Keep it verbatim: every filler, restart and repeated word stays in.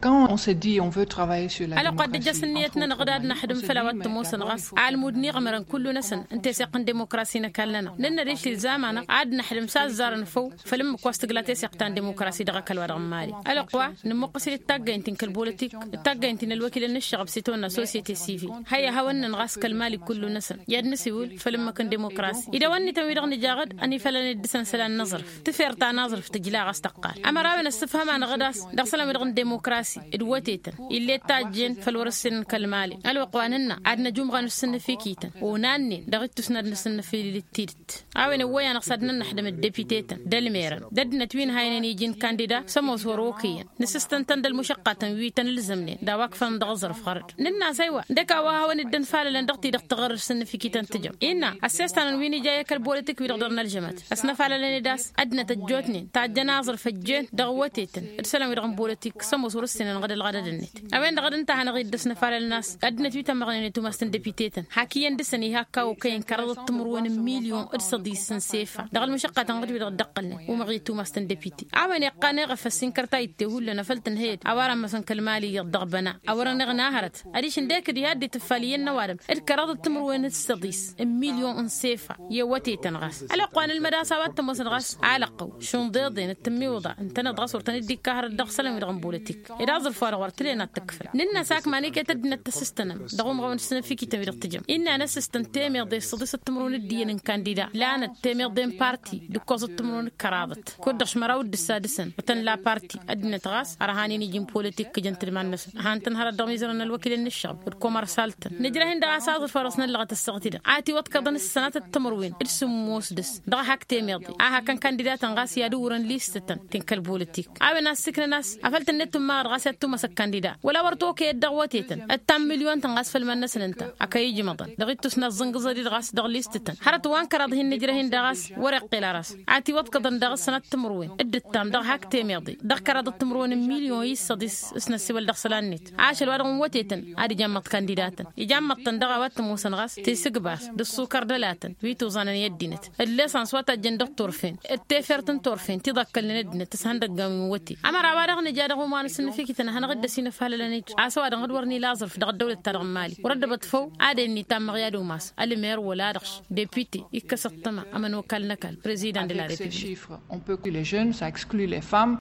Quand on se dit on veut travailler sur la ălwăqq wa dd-ijjăs ǝnniyăt-nănăɣ d-ad-năxdǝm făll-a-wa t-ămoosăn ɣas almud n-iɣmărăn kullu-năsăn n-teseɣt n-demokrasi n-ăkall-nănăɣ nǝnnăr-i-dd tilzam-anăɣ ad-năxdǝm s-azzarăn făw făll-ǝmmǝk wa s-tǝgla teseɣt ta n-demokrasi dăɣ-ăkall-wa-dăɣ n-mali. Ălwăqq wa nǝmmuqqǝs-dd taggaynt-in kăl-bolitik d-taggaynt-in ălwăkilăn n-ǝššăɣăb s-itawănna societe sivil. Hăyy ad-hawăn-nănɣas kăl-mali kullu-năsăn i-ad-nǝsiwǝl făll-ǝmmǝk n-demokrasi idăwăn-nităn wi-dăɣ nǝja ɣǝd ănifalăn-dd dăɣ-săn isălan n-aẓrǝf. Tǝfert ta n-aẓrǝf tǝjla ɣas tăqqal ămăra a-wen ăssǝfhăm-anăɣ d-ass dăɣ-isălan-wi-dăɣ n-demokrasi d-wătetăn ill'-e d tajjen făll-wăr-ǝssin n-kăl-mali. Ălwăqq wa nǝnna ad-năjumɣăn d-sǝnnǝfikităn onannen dăɣ-ittus n-ad-nǝsǝnnǝfilǝl d-tidǝt. A-wen ăwwăy-anăɣ s-ad-nănnăxdăm d-depitetăn d-ălmerăn d-ăddinăt wi ǝnhaynen iji n-kandida s-ămoos wăr-okăyăn. Nǝsǝstăn-tăn d-ălmušăqqatăn wi tăn-ǝlzămnen d-a-wa ǝkfălăn dăɣ-aẓrǝf ɣărăt. Nǝnn'-as ăywa ǝndăk a-wa hawăn-dd-ănfalălăn dăɣ-ti-dăɣ tăɣrǝr s-ǝnnǝfikităn tǝjăm innă ăssestanăn wi n-ija i-kăl-bolitik wi-dăɣ dăr-nălžămăt. Ăsnăfalălăn-dd a-s ăddinăt ăjjootnen tajjăn aẓrǝf ăjjeen dăɣ-wătetăn d-isălan-wi-dăɣ n-bolotik s-ămoos wăr-ǝssinănăɣ d-ălɣădăd-net. A-wen-dăɣ a dd-ǝnta a hanăɣ-dd-ăsnăfalălăn a-s ăddinăt wi tămmăɣnen i-tumast n-depite-tăn hak iyyăn dăɣ-săn ih'-ak a okăyăn kăraḍăt timǝrwen n-milyon d-săḍis n-sefa dăɣ-ălmušăqqatăn ɣǝd-wi-dăɣ dd-ăqqălnen umăɣ i-tumast n-depite. A-wen iqqan eɣăfăs i-n-kărtayǝtte hullan a făl tǝnhăyăd a-wa rămmăsăn kăl-mali iyyăḍ dăɣ-băna a wăren iɣna hărăt adiš ǝndek d-iha dd-itǝffal iyyăn n-ăwadǝm d-kăraḍăt timǝrwen d-săḍis n-milyon n-sefa. I-wătetăn ɣas ălwăqq wa nǝlmăd a-s a-wa t-ămoosăn ɣas alăqqăw šunḍeḍen d-tǝmmiwǝḍa ǝntăneḍ ɣas wăr tăn-dd-ikka hărăt dăɣ-isălan-wi-dăɣ n-bolotik ed aẓrǝf-wa-dăɣ wăr tǝlen ad-t-ǝkfǝl. Nǝnn'-as ak maniket ăddinăt tăsǝstănăm dăɣ-umɣăwăn d-sǝnǝfikităn-wi-dăɣ tǝjăm innă a năsǝstăn temeḍe s-săḍisăt timǝrwen d-iyyăn n-kandida lanăt temeḍe n-parti d-ǝkkoẓăt timǝrwen d-kăraḍăt kud-dăɣ šmăraw d-ǝssa dăɣ-săn wăr tăn-la parti. Ăddinăt ɣas ărhanen iji n-politik kǝjăn tǝlman-năsăn han-tăn hărăt dăɣ-imizărăn n-ălwăkilăn n-ǝššăɣb d-komersaltăn nǝjrăh-in dăɣ-a-s aẓrǝf-wa-dăɣ s-năllăɣăt ăssaɣt-i-dăɣ a ătiwăḍkăḍăn s-sănatăt timǝrwen d-sǝmmos dăɣ-s. Dăɣ-hak temeḍe a hakăn kandidatăn ɣas i-ad-uwrăn listătăn ti n-kăl-bolitik a-wen a ăssiiknăn a-s afăl tǝnnet tǝmmaɣăd ɣas i-ad-tumasăg kandida wăla wăr t-okăyăd dăɣ-wătetăn ăttan milyon-tăn ɣas făll-iman-năsăn ǝnta a kăy-ijmăḍăn dăɣ-ittus n-aẓẓǝnɣǝẓăd-i-dăɣ a-s dăɣ-listătăn hărăt wa n-kăraḍ hin-nǝjrăh-in daɣ a-s wăr-iqqel ar a-s a ătiwăḍkăḍăn daɣ ǝssănat timǝrwen d-ǝttam dăɣ-hak temeḍe dăɣ-kăraḍăt timǝrwen n-milyon i-săḍis. S-năssiwăl dăɣ-isălan-net ašăl wa dăɣ-n wătetăn ad-ijammăḍ kandidatăn ijammaḍ-tăn dăɣ-a-wa t-ămoosăn ɣas tisǝgba-s d-ăṣṣukăr d-ălatăn wi tuẓanăn i-ăddinăt d-lesans wa tajjăn dăɣ-turfen d-tefert n-turfen ti ḍakkălnen ăddinăt s-ihăndăggan wi n-wăte. Ămăra a-wa-dăɣ nǝja dăɣ-uman s-ǝnnǝfikităn ad hanăɣ-dd-ăsinăfalălăn-dd a-s ăwadǝm d-wăr nila aẓrǝf dăɣ-ăddăwlăt-ta-dăɣ n-mali wăr-ăddăbăt făw ad-ennitammăɣ i-ad-umas ălmer wăla dăɣ-s depite ikkăs ăṭṭăma ămănokal n-ăkall prezidan de la republik. On peut que les jeunes ça exclut les femmes.